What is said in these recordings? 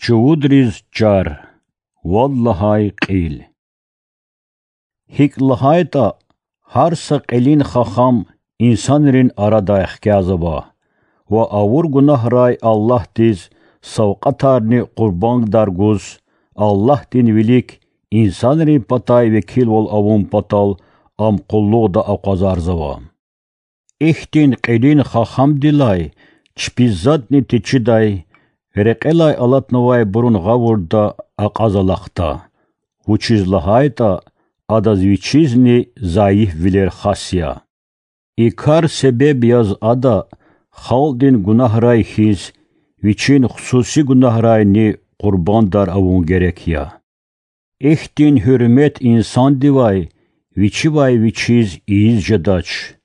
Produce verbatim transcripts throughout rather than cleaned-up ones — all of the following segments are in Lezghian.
Чувудриз чар. Вад лагьай кьил. ГьикӀ лагьайтӀа, гьар са кьилин хахам инсанрин арадай хкязава ва авур гунагьрай Аллагьдиз савкьватарни къурбандар гуз, Аллагьдин вилик инсанрин патай векилвал авун патал ам къуллугъда акъвазарзава. Ихьтин кьилин хахамдилай чпиз затӀни течидай, рекьелай алатнавайбурун гъавурда акьаз алахъда, вучиз лагьайтӀа адаз вичизни зайифвилер хас я. И кар себеб яз ада, халкьдин гунагьрай хьиз, вичин хсуси гунагьрайни къурбандар авун герек я. Ихьтин гьуьрмет инсандивай вичивай вичиз ийиз жедач.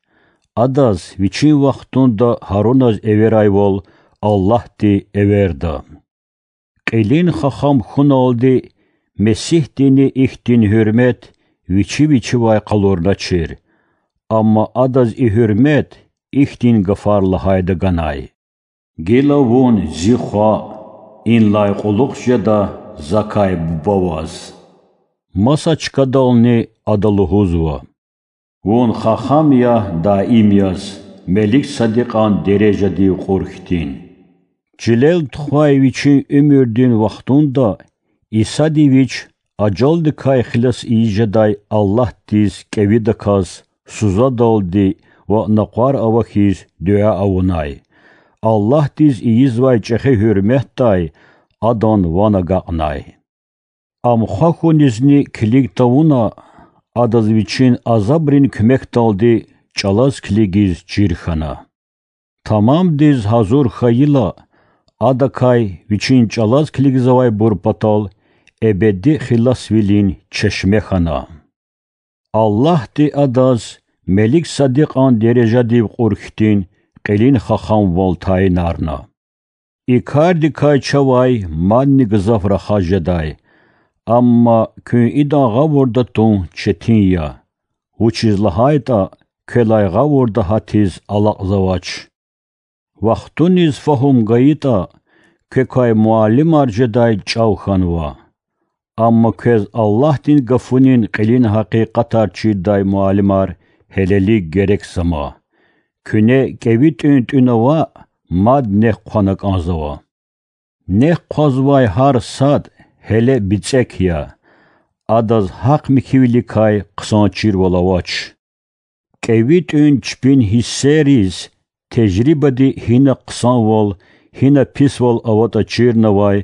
Адаз вичин вахтунда Гьаруназ эверайвал Аллагьди эверда. Кьилин хахам хьуналди Месигьдини ихьтин гьуьрмет вичи вичивай къалурначир. Амма адаз и гьуьрмет ихьтин гафар лагьайда ганай: Гила вун зи хва, инлай кьулухъ жеда закай Буба ваз. Маса чкадални ада лугьузва: Вун хахам я даим яз, Меликсадикьан дережадив кьур хьтин. Чилел тухвай вичин уьмуьрдин вахтунда Исади Вич ажалдикай хилас ийиз жедай Аллагьдиз кӀевидаказ сузадалди ва накъвар авахьиз дуьа авунай. Аллагьдиз ийизвай чӀехи гьуьрметдай Адан ван агакьнай. Ам хва хьунизни килиг тавуна, Адаз Вичин азабрин куьмекдалди чӀалаз килигиз чир хьана. Тамамдиз гьазур хьайила, Адакай Вичин чӀалаз килигзавайбур патал эбеди хиласвилин чешме хьана. Аллагьди адаз Меликсадикьан дережадив кьур хьтин кьилин хахамвал тайинарна. И кардикай чавай мадни гзаф рахаз жедай, амма куьн идан гъавурда тун четин я, вучиз лагьайтӀа квелай гъавурда гьатиз алакьзавач. Вахтуниз фагьум гайитӀа, квекай муаллимар жедай чӀав хьанва. Амма квез Аллагьдин Гафунин кьилин гьакъикъатар чирдай муаллимар гьелелиг герекзама. Куьне кӀеви тӀуьн-тӀуьна ваъ, мад нек хъвана кӀанзава. Нек хъвазвай гьар сад гьеле бицӀек я, адаз гьахъ михьивиликай хъсан чирвал авач. КӀеви тӀуьн чпин гьиссериз, тежрибади гьина хъсанвал, гьина писвал аватӀа чирнавай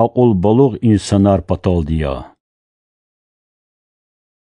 акьулбалугъ инсанар паталди я.